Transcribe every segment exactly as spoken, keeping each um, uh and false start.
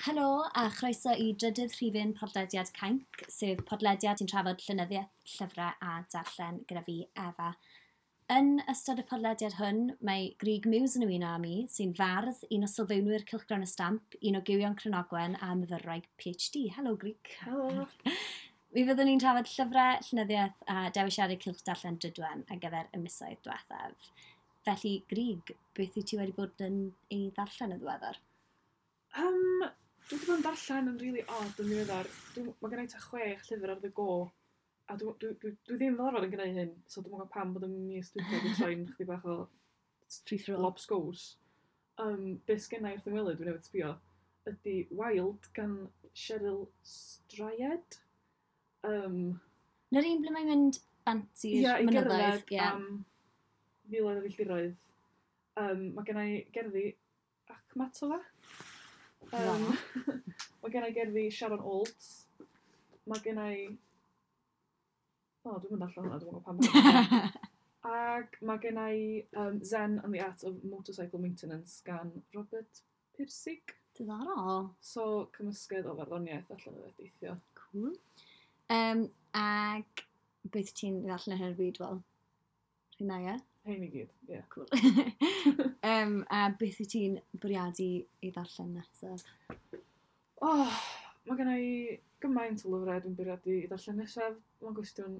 Helo a chroeso i drydydd rhifyn podlediad Cainc, sef podlediad sy'n trafod llenyddiaeth, llyfrau a darllen gyda fi, Efa. Yn ystod y podlediad hwn, mae Grug Muse yn ymuno â mi, sy'n fardd, un o sylfaenwyr Cylchgrawn y Stamp, un o gywion Cranogwen a myfyrwraig P H D. Helo, Grug. Helo. Mi fyddwn ni'n trafod llyfrau, llenyddiaeth a dewisiadau cylch darllen Drudwen ar gyfer y misoedd diwethaf. Felly, Grug, beth wyt ti wedi bod yn ei ddarllen yn ddiweddar? Um, dwi wedi bod yn darllen yn really odd yn ddiweddar. Dwi, mae gen i tua chwech llyfr ar the go. A dwi, dwi, dwi, dwi ddim fel arfer yn gwneud hyn, so dwi'n gwybod pam bod y mis dwytha wedi troi'n chydig bach o free for all. Lobsgows. Um, be sgenna i wrth yng ngwely, dwi'n newydd sbio, ydy Wild gan Cheryl Strayed. Um, Na'r un ble mae'n mynd bant i'r Ia, i mynyddoedd? gerdded Ie. am filoedd o filltiroedd. Um, mae gen i gerddi Akhmatova. Um, mae gen i gerddi Sharon Olds. Mae gen i... O, dwi'n mynd allan hwnna, dwi'n gwybod pam. ma' Ac mae gen i um, Zen and the Art of Motorcycle Maintenance gan Robert Pirsig. Diddorol. So, cymysgedd o farddoniaeth allan o deithio. Cool. Um, ag beth ti'n ddarllen ar hyn o bryd, wel? Rhywun, ie? Hein i gyd, ie. Yeah. Cool. um, a beth wyt ti'n bwriadu ei ddarllen nesaf? Oh, mae gen i gymaint o lyfrau dwi'n bwriadu i ddarllen nesaf. Mae'n gwestiwn,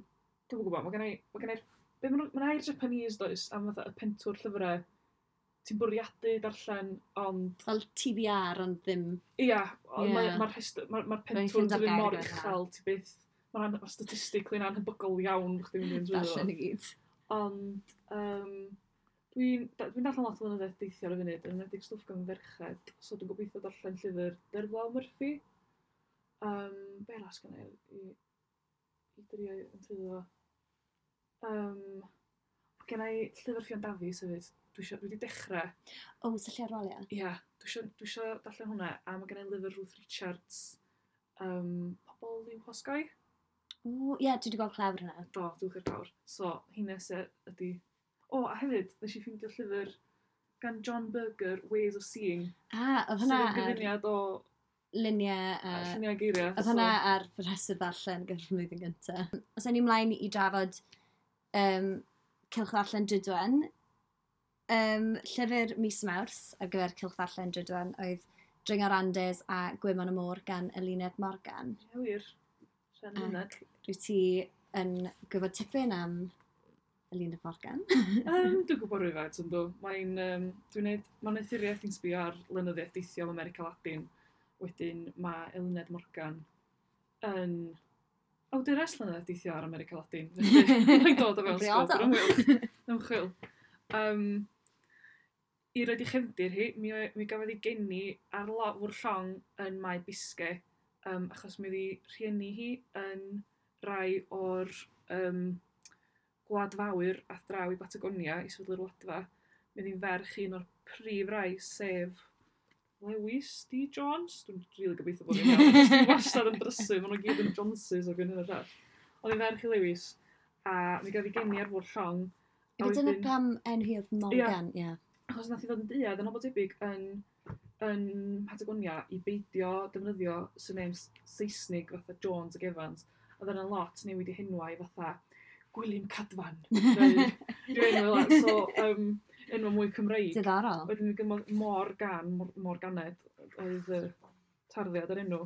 dwi'n gwybod, mae gen i, mae gen i, be maen nhw- mae'n air Japanese does, am fatha y pentwr llyfrau ti'n bwriadu darllen, ond Fel T B R, ond ddim. Ia, ond Ie. mae'r ma rhestr, mae'r ma Rhaid pentwr ffeindo'r ddim gair mor gyda hwnna. uchel, ti byth, mae'n ma statistically anhebygol iawn bo' chdi'n mynd trwy Darllen i gyd. Ond um, dwi'n dwi darllen lot o lenyddiaeth deithio ar y funud, yn enwedig stwff gan ferched, so dwi'n gobeithio darllen llyfr Derfla Murphy. Um, be arall sgynna i, i, i drio yn trwyddo fo? Um, gen i llyfr Ffion Dafis hefyd. Dwi, isio, dwi wedi dechrau. O, syllu ar waliau? Ia, dwi isio, dwi isio darllen hwnna, a mae gen i lyfr Ruth Richards, um, Pobl i'w Hosgoi. O, ie, dwi wedi gweld clawr hwnna. Do, dwi'n i'r clawr. So, hynna se ydy. O, a hefyd, nes i ffeindio llyfr gan John Berger, Ways of Seeing. Ah, oedd hwnna Sydd yn ar gyfuniad o luniau a lluniau a geiriau. Oedd hwnna ar fy rhestr ddarllen gyda'r flwyddyn gyntaf. Os ewn ni ymlaen i drafod um, Cylch Ddarllen Drudwen, um, llyfr mis Mawrth ar gyfer Cylch Ddarllen Drudwen oedd Dringo'r Andes a Gwymon y Môr gan Eluned Morgan. Ie, wir. Rhan Luned. Rwyt ti yn gwybod tipyn am Eluned Morgan? Um, dwi'n gwybod rhywfaint, yndw. Mae'n, um, dwi'n neud, mae'n wneuthuriaeth i'n sbio ar lenyddiaeth deithio am America Latin. Wedyn mae Eluned Morgan yn awdures lenyddiaeth deithio ar America Latin. Felly, mae'n dod o fewn sgôp yr ymchwil. ymchwil. Um, I roed i chefndir hi, mi, mi gafodd ei geni ar lo, fwrdd llong yn Mae Biscay, um, achos mi oedd ei rhieni hi yn rai o'r um, gwladfawyr ath draw i Batagonia i sefydlu'r wladfa. Mi oedd hi'n ferch un o'r prif rai, sef Lewis D. Jones. Dwi'n rili gobeithio bod fi'n iawn. Achos Dwi'n wastad yn drysu, maen nhw gyd yn Joneses o hyn o'r llall. Oedd hi'n ferch i Lewis, a mi gafodd ei geni ar fwrdd llong. A Ife dyna wedyn- pam enw hi oedd Morgan, ie. Achos nath hi fod yn duedd yn o bod tebyg yn, yn Patagonia i beidio defnyddio surnames Saesnig fatha Jones ac Evans. Oedd yna lot newid i henwau fatha Gwilym Cadfan. Neu rhyw enw fel 'na. So, um, enw mwy Cymreig. Diddorol. Wedyn mi gymod Morgan, Mor Morganed, oedd y tarddiad yr enw.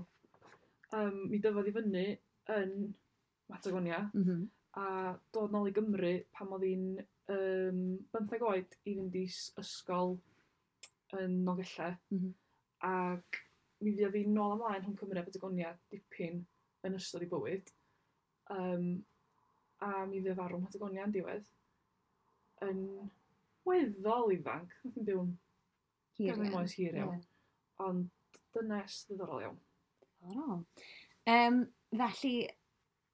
Um, mi dyfodd i fyny yn Patagonia Mm -hmm. a dod nôl i Gymru pan oedd hi'n um, bymtheg oed i fynd i s- ysgol yn Nolgellau. Mm -hmm. Ac mi fuodd hi nôl ymlaen rhwng Cymru a Patagonia dipyn yn ystod ei bywyd. Um, a mi fuodd farw yn Patagonia yn diwedd. Yn weddol ifanc. Nath hi'n byw'n Hir ganol iawn. oes hir iawn. Ie. Ond dynes ddiddorol iawn. Diddorol. Um, felly,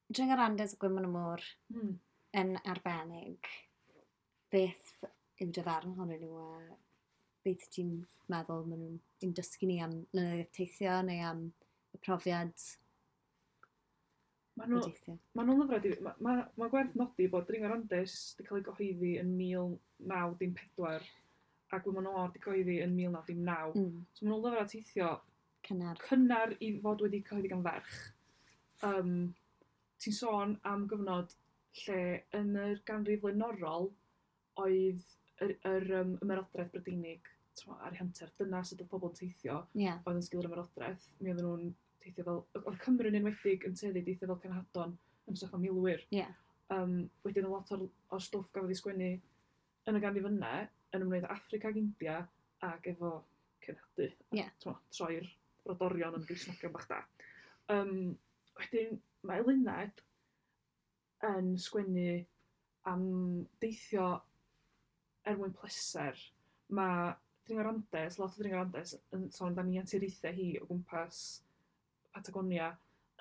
Dringo'r Andes a Gwymon y Môr Mm. yn arbennig. Beth yw dy farn ohonyn nhw a beth ti'n meddwl maen nhw'n yn dysgu ni am lenyddiaeth teithio neu am y profiad Ma' o nhw, deithio? ma' nhw'n lyfrau, di- ma' ma' ma' gwerth nodi bod Dringo'r Andes wedi cael ei gyhoeddi yn mil naw dim pedwar a Gwymon y Môr wedi cyhoeddi yn mil naw dim naw. Mm. So maen nhw'n lyfrau teithio Cynnar. Cynnar i fod wedi cyhoeddi gan ferch. Um, ti'n sôn am gyfnod lle yn yr ganrif flaenorol oedd yr, yr um, ymerodraeth Brydeinig, t'mo, ar ei hanter. Dyna sut oedd pobl yn teithio Ie. oedd yn sgil yr ymerodraeth. Mi oedden nhw'n teithio fel... Oedd Cymru'n enwedig yn tueddu i deithio fel cenhadon yn hytrach na milwyr. Ie. Um, wedyn o lot o'r, o'r stwff gafodd ei sgwennu yn y ganrif yna yn ymwneud â Affrica ac India ac efo cenhadu. Ie. T'mo, troi'r brodorion yn Gristnogion bach da. Um, wedyn mae Eluned yn sgwennu am deithio er mwyn pleser. Mae Dringo'r Andes, lot o Dringo'r Andes yn sôn amdani anturiaethau hi o gwmpas Patagonia,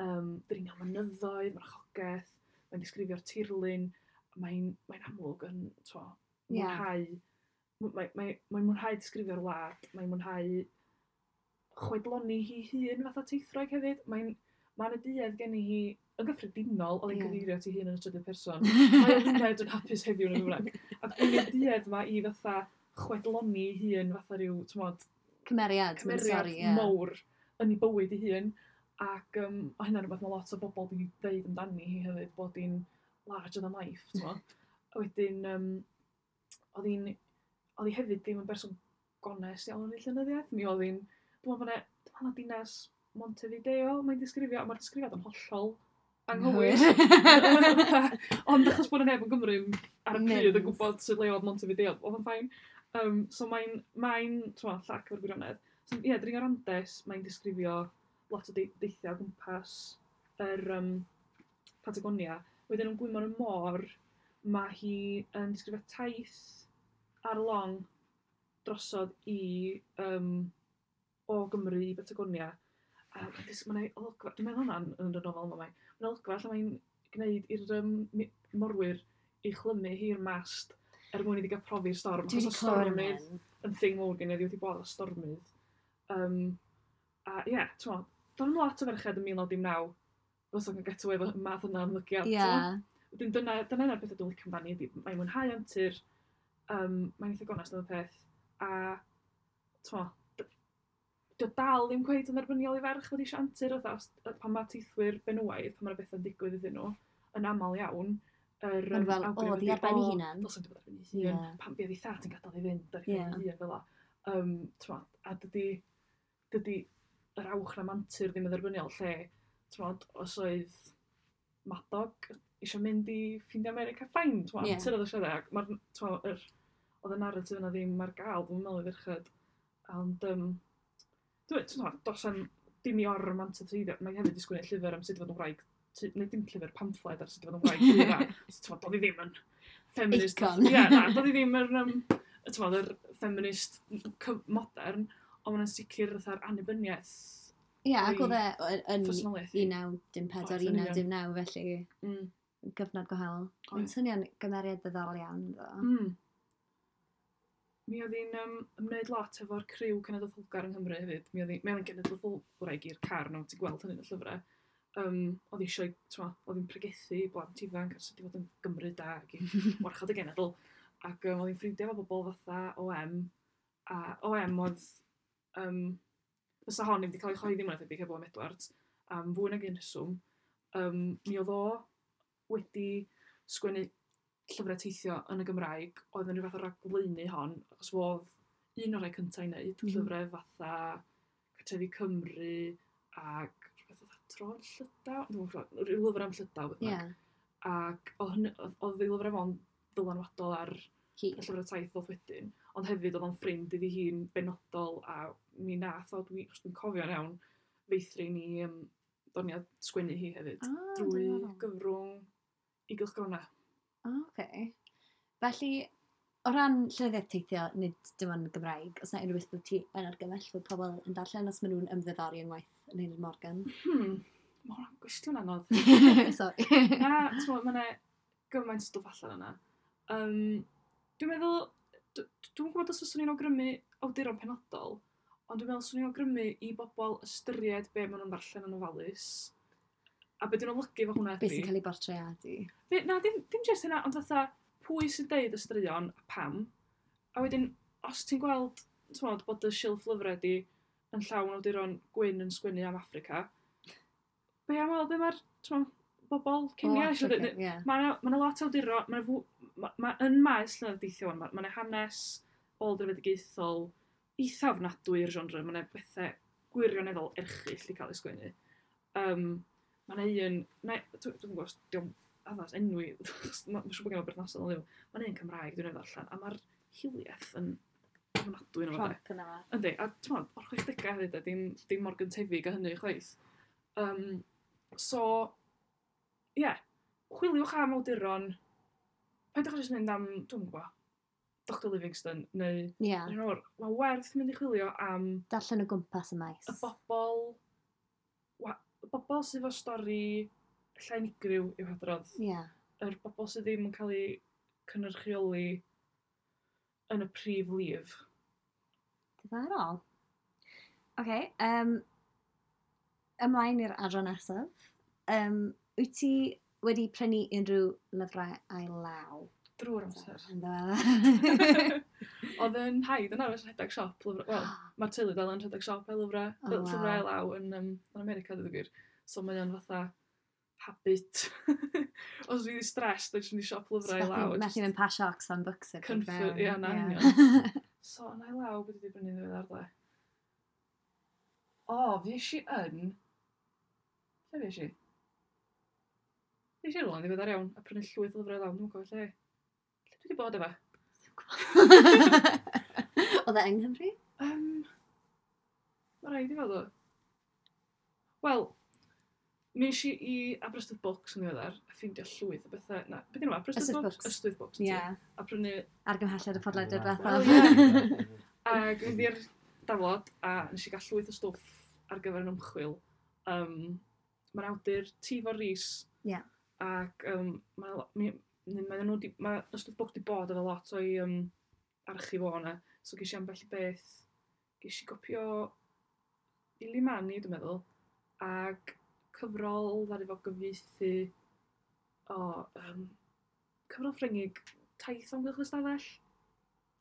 um, dringo mynyddoedd, marchogaeth, mae'n disgrifio'r tirlun, mae'n mae amlwg yn t'mo, Ie. mwynhau, mae'n mae, mae mwynhau disgrifio'r wlad, mae'n mwynhau chwedloni hi hun fatha teithwraig hefyd. Mae'n Mae'n y duedd gen i hi yn gyffredinol, oedd hi'n Ie. cyfeirio at ei hun yn y trydydd person. Mae Eluned yn hapus heddiw yn y bynnag. Ac yn y duedd ma i fatha chwedloni ei hun fatha rhyw, t'mod, Cymeriad, mae'n cymeriad sori, ie. mawr yn ei bywyd ei hun. Ac um, o hynna'n rhywbeth mae lot o bobl wedi dweud amdani hi hefyd, bod hi'n larger than life, t'mo. A wedyn, um, oedd hi'n, oedd hi hefyd ddim yn berson gonest iawn yn ei llenyddiaeth. Mi oedd hi'n, dwi'n meddwl bod 'na, dwi'n meddwl na dinas Montevideo, mae'n disgrifio, a mae'r disgrifiad yn hollol anghywir. Ond achos bod yna neb yn Gymru ar y pryd yn Mynd. gwybod sut le oedd Montevideo, oedd o'n fine. Um, so mae'n, mae'n, t'mo, llac o'r gwirionedd. So, ie, yeah, Dringo'r Andes, mae'n disgrifio lot o de- deithiau o gwmpas yr um, Patagonia. Wedyn yn Gwymon y Môr, mae hi yn disgrifio taith ar long drosodd i um, o Gymru i Patagonia. A mae'n dis- mae'n olygfa, dwi'n meddwl hwnna'n yn y nofel yma, mae. Mae'n olygfa lle mae'n gwneud i'r um, mi- morwyr i chlymu hi'r mast er mwyn iddi gael profi'r storm. Dwi wedi Achos o clywed am stormydd hyn. yn thing mawr gen i, wedi bod o stormydd. Um, a ie, yeah, ti'n do'n i'm lot o ferched yn mil naw dim naw fysa'n cael get away efo y math yna o ymddygiad. Ie. t'mo'? Wedyn dyna, dyna un o'r pethau dwi'n licio amdani ydy, mae'n mwynhau antur, um, mae'n eitha gonest am y peth, a t'mo, d- dio dal ddim cweit yn dderbyniol i ferch fod eisiau antur, fatha, os, pan mae teithwyr benywaidd, pan mae'r bethau'n digwydd iddyn nhw, yn aml iawn, yr Ma'n yym, fel, awgrym o, ddi ydi, ar ben ei "O, hunan." Dylsen di bod ar ben ei hun, Ie. pam bydd ei thad yn gadael i fynd ar ei Ie. phen ei hun fel 'a. Um, t'mo, a dydy, dydy yr awch am antur ddim yn dderbyniol lle, t'mod, os oedd Madog eisiau mynd i ffindio America, fine, t'mo, Ie. antur oedd eisiau dde, ac ma'r, t'mo, yr, oedd y narrative yna ddim ar gael, dwi'n meddwl i ferched. Ond, um, dwi'n, t'mo, does 'am dim i or-romantiseiddio, mae hefyd wedi sgwennu llyfr am sut i fod yn wraig, tu- neu dim llyfr, pamffled ar sut i fod yn wraig tu dda. So, t'mo, doedd hi ddim yn feminist. Icon. Ie, na, doedd hi ddim yr, um, t'mo, yr feminist cy- modern, ond mae'n sicr fatha'r annibyniaeth Ie, ac o'i oedd e yn personoliaeth hi. un naw dim pedwar, Oedd, yn un naw union. dim naw, felly Mm. gyfnod gwahanol. Mae'n Oedd. swnio'n gymeriad ddiddorol iawn, ddo. Mm. Mi oedd hi'n um, ymwneud lot efo'r criw cenedlaetholgar yng Nghymru hefyd. Mi oedd hi- mi oedd hi'n genedlaetholwraig i'r car, no, ti'n gweld hynny yn y llyfrau. Um, oedd hi eisiau, t'mo, oedd hi'n pregethu i blant ifanc ar sut i fod yn Gymru da ac i warchod y genedl. Ac um, oedd hi'n ffrindiau efo bobl fatha O M. A O M oedd, um, fysa hon ddim wedi cael ei chyhoeddi mwy na thebyg heb O M Edwards, am fwy nag un rheswm. Um, mi oedd o wedi sgwennu llyfrau teithio yn y Gymraeg, oedd yn rhyw fath o ragflaenu hon, achos fo oedd un o'r rhai cyntaf i wneud, Mhm. llyfrau fatha Cartrefi Cymru ac rhywbeth fatha Tro'r Llydaw, dwi'm yn gwbod, rhyw lyfr am Llydaw, beth Ie, bynnag. Ac oedd hynny- oedd oedd ei lyfrau fo'n ddylanwadol ar hi. y llyfrau taith ddoth wedyn, ond hefyd oedd o'n ffrind iddi hi'n benodol a mi nath o, dwi, os dwi'n cofio'n iawn, feithrin i um, doniad sgwennu hi hefyd, Ah, drwy diddorol. gyfrwng i gylchgrona. Ah, oce. Felly, o ran llenyddiaeth teithio, nid dim ond Gymraeg, os na unrhyw beth bod ti yn argymell fod pobl yn darllen os maen nhw'n ymddiddori yn waith Eluned Morgan? Hmm, mae hwnna'n gwestiwn anodd. Sorry. Na, ti'n mae yna gymaint o stwff allan yna. Um, dwi'n meddwl, d- dwi'n gwybod os fyswn i'n awgrymu awduron penodol, ond dwi'n meddwl swn i'n awgrymu i bobl ystyried be maen nhw'n ddarllen yn ofalus. A be dwi'n olygu efo hwnna Be ydi... sy'n cael ei bortreadu? Fe, na, dim, dim jyst hynna, ond fatha, pwy sy'n deud y straeon a pam. A wedyn, os ti'n gweld, ti'n bod, bod y silff lyfrau di yn llawn awduron gwyn yn sgwennu am Affrica. Be am weld be mae'r, t'mo, bobl Kenya eisiau dweud? Yeah. Mae yna ma lot o awduron, mae ma, ma yn maes llenyddiaeth deithio, mae ma hanes ôl-drefedigaethol eitha ofnadwy i'r genre, mae yna bethau gwirioneddol erchyll i cael ei sgwennu. Um, mae yna un, na, dwi'n gwybod os dio'n addas enwi, mae'n siŵr bod gen i berthnasol ond ddim. Mae yna un Cymraeg dwi'n ei ddarllen, a mae'r hiliaeth yn ofnadwy yn fo. Rhonc yna. Yndi, a ti'n o'r chwechdegau hefyd, a dim, dim mor gyntefig a hynny chwaith. Um, so, ie, yeah, chwiliwch am awduron, paidwch â jyst mynd am, dwi'n gwybod, Doctor Livingstone, neu, Ie. Yeah. yeah. Mae werth mynd i chwilio am Darllen o gwmpas y maes. y bobl, wa, y bobl sydd efo stori ella unigryw i'w hadrodd. Ie. Yeah. Yr bobl sydd ddim yn cael eu cynrychioli yn y prif lif. Diddorol. Oce, okay, um, ymlaen i'r adran nesaf. Um, wyt ti wedi prynu unrhyw lyfrau ail law? Drwy'r amser. Yn ddiweddar. Oedd yn nhaid yn arfer rhedeg siop lyfrau. Wel, mae'r teulu dal yn rhedeg siop ail lyfrau. Oh, wow. Llyfrau ail law yn, um, yn America, dweud y gwir. So mae o'n fatha habit. Os dwi'n stressed, dwi'n mynd i siop lyfrau ail law. Methu mynd pasio Oxfam Books. erbyn Comfort, fewn. ie, na, Ie. union. So, yn ail law, beth wedi brynu ddiweddar dle? O, fi eisiau yn... Lle fi eisiau? Fi eisiau rhywle yn ddiweddar iawn, a prynu llwyth o lyfrau ail law, dwi'n gwybod lle. Lle dwi wedi bod efo? Oedd e yng Nghymru? Um, mae rhaid i fod o. Wel, mi eisiau i Aberystwyth Books yn ddiweddar, a ffeindio llwyth o bethau. Na, beth yw Aberystwyth Ystwyth Books? Books. Ystwyth Books. Ie. A prynu, Argymhelliad y podlediad Wel, diwethaf. ie. Ac fynd i'r daflod, a nes i gael llwyth o stwff ar gyfer yn ymchwil. Um, Mae'n awdur Tifor Rees. Ie. Ac um, mae mi, mae nhw di, mae Ystwyth Books di bod efo lot o'i um, archif o yna. So ges i ambell i beth. Ges i gopio Ilimani, dwi'n meddwl, ac cyfrol ddaru fo gyfieithu o, um, cyfrol Ffrengig, Taith o Amgylch y Stafell.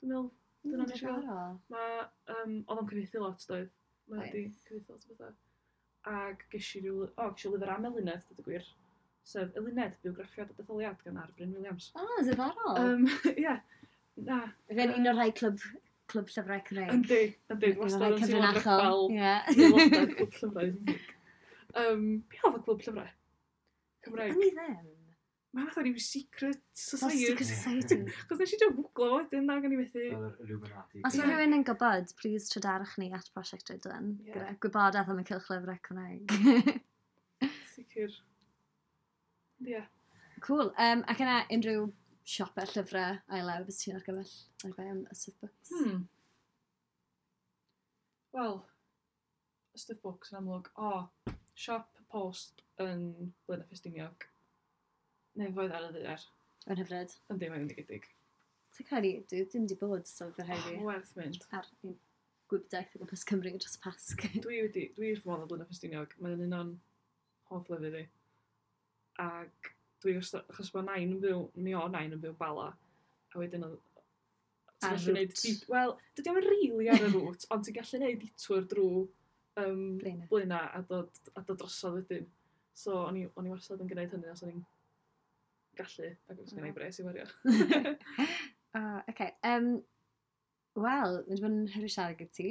Dwi'n meddwl, dyna nes i gael. Diddorol. Mae, um, oedd o'n cyfieithu lot, doedd. Mae wedi Oedd. cyfieithu lot o bethau. Ac ges i ryw, o, ges i lyfr am Eluned, dweud y gwir. Sef Eluned, bywgraffiad a detholiad gan R. Bryn Williams. O, diddorol. Um, ie, na. Fe'n un o'r rhai clwb, clwb llyfrau Cymreig. Yndi, yndi, Un o'r wastad rhai yn teimlo'n cyfrinachol. rebel. Ie. Aelodau clwb llyfrau. Um, be oedd y clwb llyfrau? Cymraeg. O'n i ddim. Mae fatha rhyw secret Fel society. Secret Society. Chos nes i just googlo fo wedyn, ac o'n i methu. Fel yr Illuminati. Os mae rhywun yn gwybod, please trydarwch ni at Prosiect Rhydwen. Ie. Gyda gwybodaeth am y cylch lyfrau Cymraeg. Sicr. Ie. Cool. Um, ac yna unrhyw siopau llyfrau ail law bys ti'n argymell ar bai am Ystwyth Books? Hmm. Wel, Ystwyth Books yn amlwg. O, siop post yn Blaenau Ffestiniog. Nefoedd ar y ddaear. Yn hyfryd. Yndi, mae'n fendigedig. Ti'n credu, dwi ddim wedi bod, so fydd rhaid Oh, fi Mae'n werth mynd. ar un gwibdaith o gwmpas Cymru dros y Pasg. Dwi wedi, dwi wrth fy modd o Blaenau Ffestiniog. Mae'n un o'n hoff lefydd i. Ac dwi wastad, achos mae nain yn byw, mi o nain yn byw Bala. A wedyn oedd ti'n Ar gallu neud route. di- Wel, dydy o'm rili ar y route, ond ti'n gallu neud detour drwy um, Blaenau. Blaenau a dod, a dod drosodd wedyn. So, o'n i, o'n i wastad yn gwneud hynny os o'n i'n gallu, ac os gen i bres i wario. Ah, okay. Um, Wel, mae wedi bod yn hyfryd siarad gyda ti.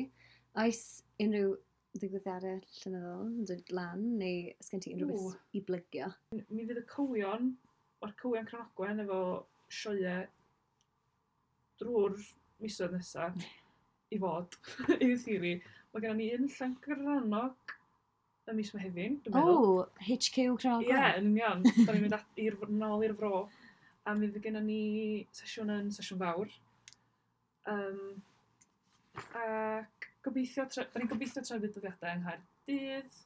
Oes unrhyw ddigwyddiadau llenyddol yn dod lan, neu oes gen ti unrhyw Ww. beth i blygio? Mi fydd y cywion, mae'r cywion Cranogwen efo sioeau drwy'r misoedd nesaf i fod, in theory. Mae gennym ni un Llangrannog y mis Mehefin, dwi'n O, meddwl. oh, H Q Cranogwen. Ie, yeah, yn union. Da ni'n mynd at- i'r nôl i'r fro. A mi fydd gennym ni sesiwn yn sesiwn fawr. Um, ac gobeithio, tre- da ni'n gobeithio trefnu dyddiadau yng Nghaerdydd.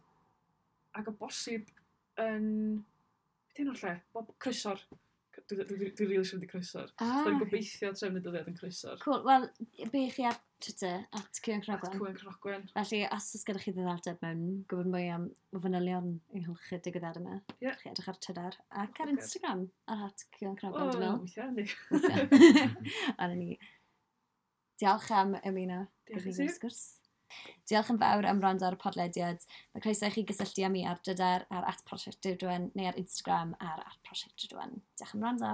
Ac o bosib yn... Beth enw'r lle? Bob Croesor. Dwi, dwi, dwi, dwi rili eisiau mynd i Croesor. Ah, So, da ni'n gobeithio trefnu dyddiad yn Croesor. Cool. Wel, be chi ar Twitter, at Cywion At Cranogwen. Cywion Cranogwen. Felly, os oes gyda chi ddiddordeb mewn gwybod mwy am fanylion ynghylch y digwyddiad yma, Ie. chi edrych ar Twitter ac ar Ocê. Instagram, ar at Cywion O, Cranogwen, dwi'n meddwl. weithiau, yndi. Weithiau. A na ni. Diolch am ymuno Diolch gyda i fi ti. sgwrs. Diolch yn fawr am wrando ar y podlediad. Mae croeso i chi gysylltu â mi ar Drydar ar at Prosiect Drudwen neu ar Instagram ar at Prosiect Drudwen. Diolch am wrando.